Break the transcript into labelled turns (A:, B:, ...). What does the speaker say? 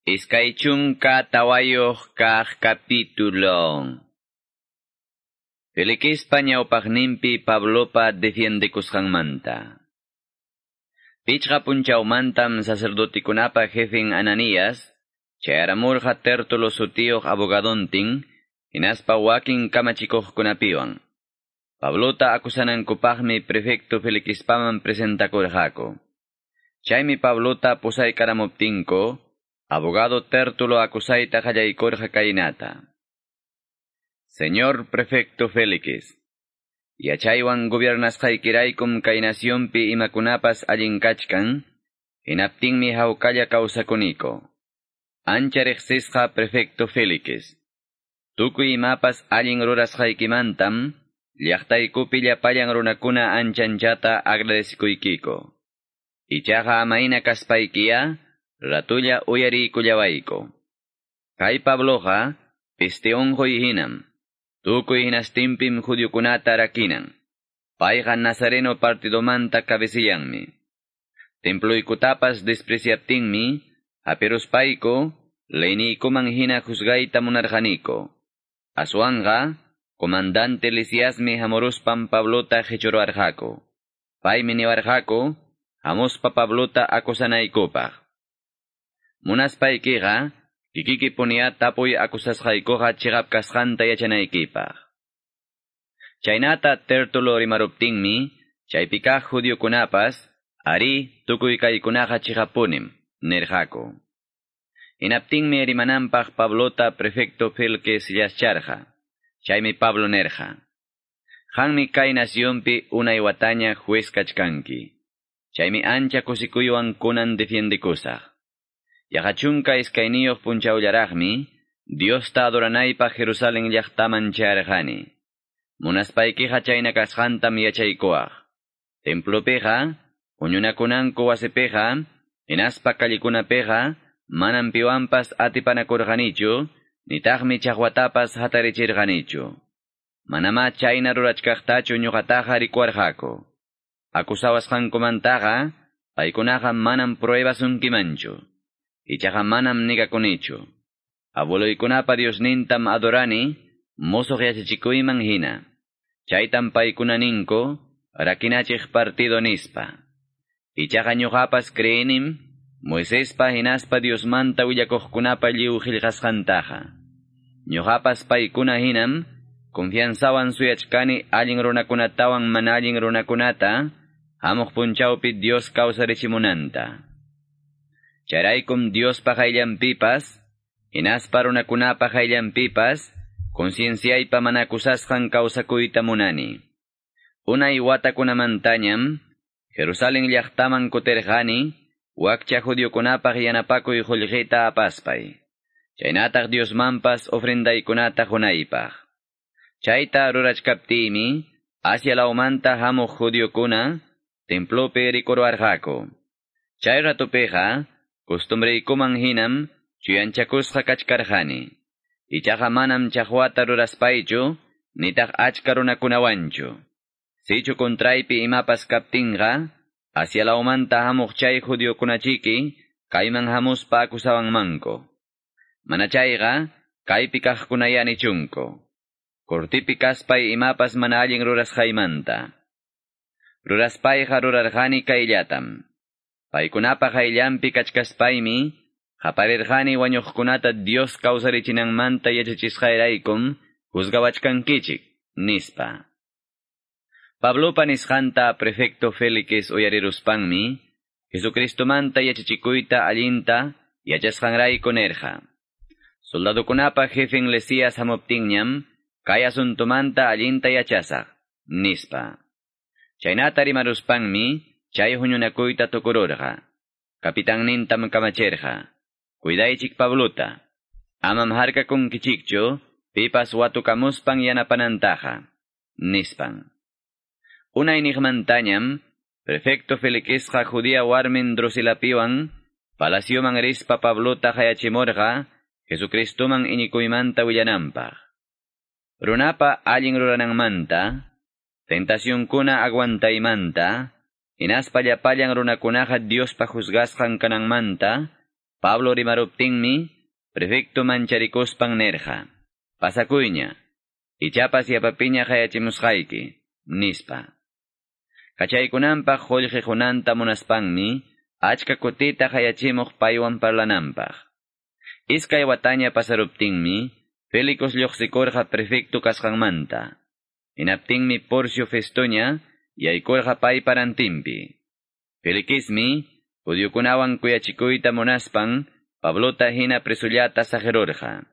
A: 24 kaq capítulo. Felixpa ñawpaqninpi Pablopa defiendekusqanmanta. Pichqa punchawmantam sacerdotikunapa jefen Ananías, chayaramurqa Tértulo sutiyuq abogadontin, hinaspa wakin kamachikuqkunapiwan. Pablota akusanankupaqmi prefecto Felixpaman presentakurqaku. Chaymi Pablota pusaykaramuptinku, abogado Tértulo akusayta qallaykurqa kaynata. Señor prefecto Félix, yachaywan gobiernasqaykiraykum kay nacionpi imakunapas allin kachkan, hinaptinmi hawkalla kawsakuniko. Ancha riqsisqa prefecto Félix, tukuy imapas allin rurasqaykimantam, llaqtaykupi llapallan runakuna anchanchata agradecikuykiko. Ichaqa amayna kaspaykiya, ratulla uyariykullawayku. Kay Pabloqa, peste unquy hinam, tukuy hinastinpim judiokunata rakinan. Payqa Nazareno partidomanta cabecillanmi. Temploykutapas despreciaptinmi, hapiruspayku, leyniykuman hina juzgayta munarqaniko. Aswanqa, comandante Lisiasmi hamuruspan Pablota qichuruarqaku. Paymi niwarqaku, hamuspa Pablota akusanaykupaq. Munaspaykiqa, kikiki puniya tapuy akusasqaykuqa chiqap kasqanta yachanaykipaq. Chaynata Tértulo rimaruptinmi, chaypi kaq judiokunapas, ari tukuy kaykunaqa chiqapunim, nirqaku. Hinaptinmi rimananpaq Pablota prefecto Felix yascharqa. Chaymi Pablo nirqa. Qanmi kay nacionpi unay wataña juez kachkanki. Chaymi ancha kusikuywan kunan defiendekusaq. Yaqa 12 punchawllaraqmi, Diosta adoranaypaq Jerusalén llaqtaman chayarqani. Munaspaykiqa chayna kasqantam yachaykuwaq. Templopiqa, huñunakunanku wasipiqa, hinaspa callikunapiqa, manam piwanpas atipanakurqanichu, nitaqmi chaqwatapas hatarichirqanichu. Manamá chayna rurachkaqtachu ñuqataqa rikuwarqaku. Akusawasqankumantaqa, paykunaqa manam pruebasunkimanchu. Ichaqa manam nigakunichu. Abueloykunapa Diosnintam adorani, musuq yachachikuyman hina. Chaytam paykuna ninku, rakinachiq partido nispa. Ichaqa ñuqapas creenim, Moisespa hinaspa Diosmanta willakuqkunapa lliw qillqasqantaqa. Ñuqapas paykuna hinam, confianzawan suyachkani allin runakunatawan mana allin runakunata, hamuq punchawpi Dios kawsarichimunanta. Chayraykum Diospa qayllanpipas, hinaspa runakunapa qayllanpipas, concienciaypa mana akusasqan kawsakuyta munani. Unay watakunamantañam, Jerusalén llaqtaman kutirqani, wakcha judiokunapaq yanapakuy qullqita apaspay. Chaynataq Diosmanpas ofrendaykunata qunaypaq. Chayta rurachkaptiymi, Asia lawmanta hamuq judiokuna, templopi rikuruarqaku. Chay ratupiqa, costumbreykuman hinam, chuyanchakusqa kachkarqani. Ichaqa manam chaqwata ruraspaychu, nitaq achka runakunawanchu. Sichu kontraypi imapas kaptinqa, Asia lawmanta hamuq chay judiokunachiki, kayman hamuspa akusawanmanku. Mana chayqa, kaypi kaqkunaya nichunku. Kortipi kaspay imapas mana allin rurasqaymanta. Ruraspayqa rurarqani kayllatam. Paykunapa qayllanpi kachkaspaymi, qaparirqani wañuqkunata Dios kawsarichinanmanta yachachisqayraykum juzgawachkankichik, nispa. Pablopa nisqanta prefecto Félix uyariruspanmi, Jesucristomanta yachachikuyta allinta yachasqanrayku nirqa. Soldadokunapa jefen Lesías hamuptinñam, kay asuntumanta allinta yachasaq, nispa. Chaynata rimaruspanmi, chay huñunakuyta tukururqa. Kapitannintam kamachirqa. Cuidaychik Pablota. Amam harkakunkichikchu, pipas watukamuspan yanapanantaqa, nispan. Unay niqmantañam, prefecto Felixqa judía warmin Drusilapiwan, palacioman rispa Pablota qayachimurqa, Jesucristoman iñikuymanta willananpaq. Runapa allin rurananmanta, tentacionkuna aguantaymanta, hinaspa llapallan runakunaqa Diospa juzgasqan kananmanta, Pablo rimaruptinmi, prefecto mancharikuspan nerqa. Pasakuyña, ichapas yapapiña qayachimusqayki, nispa. Kachaykunanpaq qullqi qunanta munaspanmi, achka kutita qayachimuq paywan parlananpaq. Iskay wataña pasaruptinmi, Félix lluqsikurqa prefecto kasqanmanta. Hinaptinmi Porcio Festoña yaykurqa paypa rantinpi. Felixmi, judiokunawan kuyachikuyta munaspan, Pablota hina presullata saqirurqa.